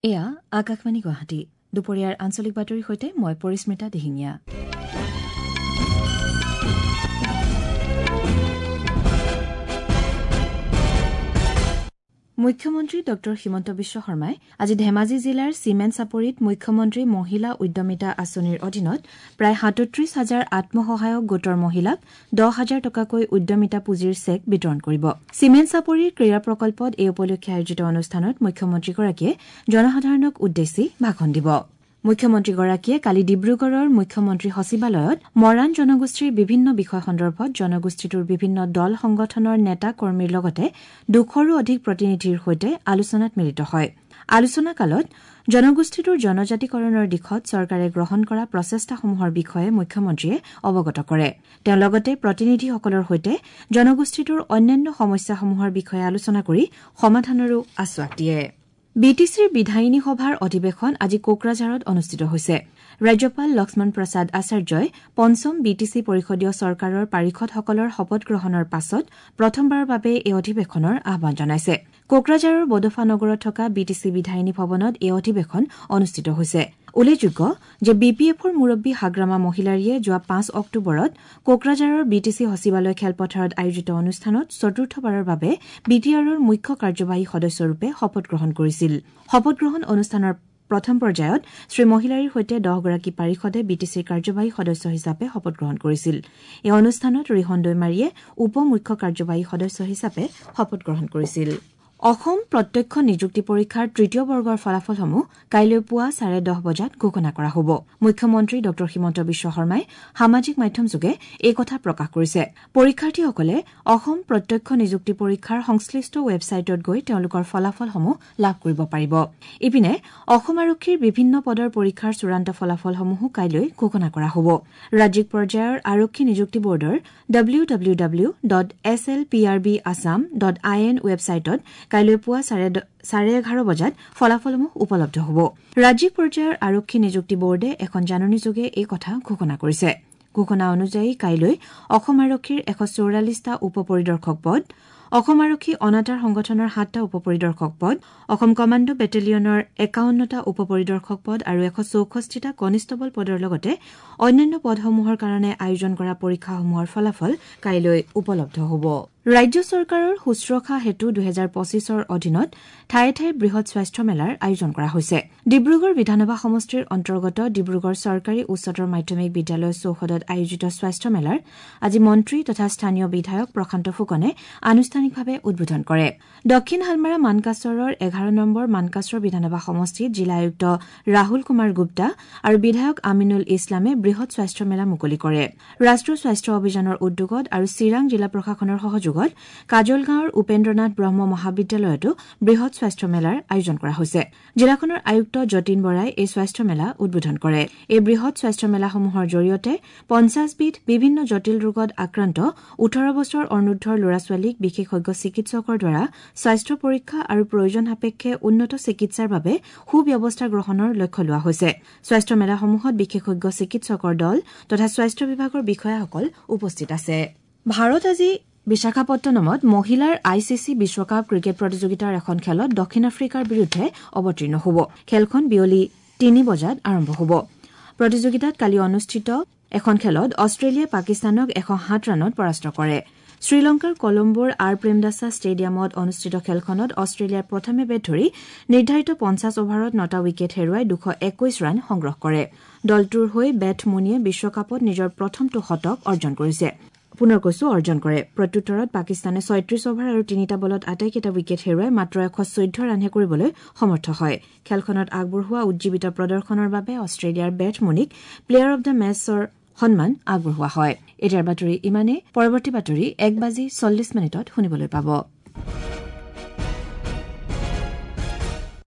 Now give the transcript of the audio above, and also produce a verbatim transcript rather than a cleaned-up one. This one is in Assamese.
এয়া আকাশবাণী গুৱাহাটী। দুপৰীয়াৰ আঞ্চলিক বাতৰিৰ সৈতে মই পৰিস্মিতা দিহিঙীয়া। মুখ্যমন্ত্ৰী ডঃ হিমন্ত বিশ্ব শৰ্মাই আজি ধেমাজি জিলাৰ চিমেন চাপৰিত মুখ্যমন্ত্ৰী মহিলা উদ্যমিতা আঁচনিৰ অধীনত প্ৰায় সাতত্ৰিশ হাজাৰ আত্মসহায়ক গোটৰ মহিলাক দহ হাজাৰ টকাকৈ উদ্যমিতা পুঁজিৰ চেক বিতৰণ কৰিব। চিমেন চাপৰিৰ ক্ৰীড়া প্ৰকল্পত এই উপলক্ষে আয়োজিত অনুষ্ঠানত মুখ্যমন্ত্ৰীগৰাকীয়ে জনসাধাৰণক উদ্দেশ্যি ভাষণ দিব। মুখ্যমন্ত্ৰীগৰাকীয়ে কালি ডিব্ৰুগড়ৰ মুখ্যমন্ত্ৰী সচিবালয়ত মৰাণ জনগোষ্ঠীৰ বিভিন্ন বিষয় সন্দৰ্ভত জনগোষ্ঠীটোৰ বিভিন্ন দল সংগঠনৰ নেতা কৰ্মীৰ লগতে দুশৰো অধিক প্ৰতিনিধিৰ সৈতে আলোচনাত মিলিত হয়। আলোচনাকালত জনগোষ্ঠীটোৰ জনজাতিকৰণৰ দিশত চৰকাৰে গ্ৰহণ কৰা প্ৰচেষ্টাসমূহৰ বিষয়ে মুখ্যমন্ত্ৰীয়ে অৱগত কৰে। তেওঁ লগতে প্ৰতিনিধিসকলৰ সৈতে জনগোষ্ঠীটোৰ অন্যান্য সমস্যাসমূহৰ বিষয়ে আলোচনা কৰি সমাধানৰো আশ্বাস দিয়ে। বি টি চিৰ বিধায়িনী সভাৰ অধিৱেশন আজি কোকৰাঝাৰত অনুষ্ঠিত হৈছে। ৰাজ্যপাল লক্ষ্মণ প্ৰসাদ আচাৰ্যই পঞ্চম বি টি চি পৰিষদীয় চৰকাৰৰ পাৰিষদসকলৰ শপত গ্ৰহণৰ পাছত প্ৰথমবাৰৰ বাবে এই অধিৱেশনৰ আহ্বান জনাইছে। কোকৰাঝাৰৰ বডোফা নগৰত থকা বি টি চি বিধায়িনী ভৱনত এই অধিৱেশন অনুষ্ঠিত হৈছে। উল্লেখযোগ্য যে বি পি এফৰ মুৰব্বী হাগ্ৰামা মহিলাৰীয়ে যোৱা পাঁচ অক্টোবৰত কোকৰাঝাৰৰ বি টি চি সচিবালয় খেলপথাৰত আয়োজিত অনুষ্ঠানত চতুৰ্থবাৰৰ বাবে বি টি আৰৰ মুখ্য কাৰ্যবাহী সদস্যৰূপে শপত গ্ৰহণ কৰিছিল। শপতগ্ৰহণ অনুষ্ঠানৰ প্ৰথম পৰ্যায়ত শ্ৰীমহিলাৰীৰ সৈতে দহগৰাকী পাৰিষদে বি টি চিৰ কাৰ্যবাহী সদস্য হিচাপে শপত গ্ৰহণ কৰিছিল। এই অনুষ্ঠানত ৰিহণ দৈমাৰীয়ে উপ মুখ্য কাৰ্যবাহী সদস্য হিচাপে শপত গ্ৰহণ কৰিছিল। অসম প্ৰত্যক্ষ নিযুক্তি পৰীক্ষাৰ তৃতীয় বৰ্গৰ ফলাফলসমূহ কাইলৈ পুৱা চাৰে দহ বজাত ঘোষণা কৰা হ'ব। মুখ্যমন্ত্ৰী ডঃ হিমন্ত বিশ্ব শৰ্মাই সামাজিক মাধ্যমযোগে এই কথা প্ৰকাশ কৰিছে। পৰীক্ষাৰ্থীসকলে অসম প্ৰত্যক্ষ নিযুক্তি পৰীক্ষাৰ সংশ্লিষ্ট ৱেবছাইটত গৈ তেওঁলোকৰ ফলাফলসমূহ লাভ কৰিব পাৰিব। ইপিনে অসম আৰক্ষীৰ বিভিন্ন পদৰ পৰীক্ষাৰ চূড়ান্ত ফলাফলসমূহো কাইলৈ ঘোষণা কৰা হ'ব। ৰাজ্যিক পৰ্যায়ৰ আৰক্ষী নিযুক্তি বৰ্ডৰ W W W dot S L P R B Assam dot I N ৱেবছাইটত কাইলৈ পুৱা চাৰে এঘাৰ বজাত ফলাফলসমূহ উপলব্ধ হ'ব। ৰাজ্যিক পৰ্যায়ৰ আৰক্ষী নিযুক্তি বৰ্ডে এখন জাননীযোগে এই কথা ঘোষণা কৰিছে। ঘোষণা অনুযায়ী কাইলৈ অসম আৰক্ষীৰ এশ চৌৰাল্লিছটা উপ পৰিদৰ্শক পদ, অসম আৰক্ষী অনাতাঁৰ সংগঠনৰ সাতটা উপ পৰিদৰ্শক পদ, অসম কমাণ্ডো বেটেলিয়নৰ একাৱন্নটা উপ পৰিদৰ্শক পদ আৰু এশ চৌষষ্ঠিটা কনিষ্টবল পদৰ লগতে অন্যান্য পদসমূহৰ কাৰণে আয়োজন কৰা পৰীক্ষাসমূহৰ ফলাফল কাইলৈ উপলব্ধ হ'ব। ৰাজ্য চৰকাৰৰ শুশ্ৰূষা হেতু দুহেজাৰ পঁচিছৰ অধীনত ঠায়ে ঠায়ে বৃহৎ স্বাস্থ্য মেলাৰ আয়োজন কৰা হৈছে। ডিব্ৰুগড় বিধানসভা সমষ্টিৰ অন্তৰ্গত ডিব্ৰুগড় চৰকাৰী উচ্চতৰ মাধ্যমিক বিদ্যালয় চৌহদত আয়োজিত স্বাস্থ্য মেলাৰ আজি মন্ত্ৰী তথা স্থানীয় বিধায়ক প্ৰশান্ত ফুকনে আনুষ্ঠানিকভাৱে উদ্বোধন কৰে। দক্ষিণ হালমাৰা মানকাচৰৰ এঘাৰ নম্বৰ মানকাচৰ বিধানসভা সমষ্টিত জিলা আয়ুক্ত ৰাহুল কুমাৰ গুপ্তা আৰু বিধায়ক আমিনুল ইছলামে বৃহৎ স্বাস্থ্য মেলা মুকলি কৰে। ৰাষ্ট্ৰীয় স্বাস্থ্য অভিযানৰ উদ্যোগত আৰু চিৰাং জিলা প্ৰশাসনৰ সহযোগত কাজলগাঁৱৰ উপেন্দ্ৰনাথ ব্ৰহ্ম মহাবিদ্যালয়তো বৃহৎ স্বাস্থ্য মেলাৰ আয়োজন কৰা হৈছে। জিলাখনৰ আয়ুক্ত যতীন বৰাই এই স্বাস্থ্য মেলা উদ্বোধন কৰে। এই বৃহৎ স্বাস্থ্য মেলাসমূহৰ জৰিয়তে পঞ্চাছবিধ বিভিন্ন জটিল ৰোগত আক্ৰান্ত ওঠৰ বছৰ অনুৰ্ধৰ ল'ৰা ছোৱালীক বিশেষজ্ঞ চিকিৎসকৰ দ্বাৰা স্বাস্থ্য পৰীক্ষা আৰু প্ৰয়োজন সাপেক্ষে উন্নত চিকিৎসাৰ বাবে সুব্যৱস্থা গ্ৰহণৰ লক্ষ্য লোৱা হৈছে। স্বাস্থ্য মেলাসমূহত বিশেষজ্ঞ চিকিৎসকৰ দল তথা স্বাস্থ্য বিভাগৰ বিষয়াসকল উপস্থিত আছে। ভাৰত আজি বিশাখাপট্টনমত মহিলাৰ I C C বিশ্বকাপ ক্ৰিকেট প্ৰতিযোগিতাৰ এখন খেলত দক্ষিণ আফ্ৰিকাৰ বিৰুদ্ধে অৱতীৰ্ণ হ'ব। খেলখন বিয়লি তিনি বজাত আৰম্ভ হ'ব। প্ৰতিযোগিতাত কালি অনুষ্ঠিত এখন খেলত অষ্ট্ৰেলিয়াই পাকিস্তানক এশ সাত ৰানত পৰাস্ত কৰে। শ্ৰীলংকাৰ কলম্বোৰ আৰ প্ৰেমদাসা ষ্টেডিয়ামত অনুষ্ঠিত খেলখনত অষ্ট্ৰেলিয়াই প্ৰথমে বেট ধৰি নিৰ্ধাৰিত পঞ্চাছ অভাৰত নটা উইকেট হেৰুৱাই দুশ একৈশ ৰান সংগ্ৰহ কৰে। দলটোৰ হৈ বেথ মুনিয়ে বিশ্বকাপত নিজৰ প্ৰথমটো শতক অৰ্জন কৰিছে। পুনৰ কৈছো অৰ্জন কৰে। প্ৰত্যুত্তৰত পাকিস্তানে ছয়ত্ৰিশ অভাৰ আৰু তিনিটা বলত আটাইকেইটা উইকেট হেৰুৱাই মাত্ৰ এশ চৈধ্য ৰানহে কৰিবলৈ সমৰ্থ হয়। খেলখনত আগবঢ়োৱা উজ্জীৱিত প্ৰদৰ্শনৰ বাবে অষ্ট্ৰেলিয়াৰ bathe Munich player of the মেচৰ সন্মান আগবঢ়োৱা হয়। এতিয়াৰ বাতৰি ইমানেই। পৰৱৰ্তী বাতৰি এক বাজি চল্লিছ মিনিটত শুনিবলৈ পাব।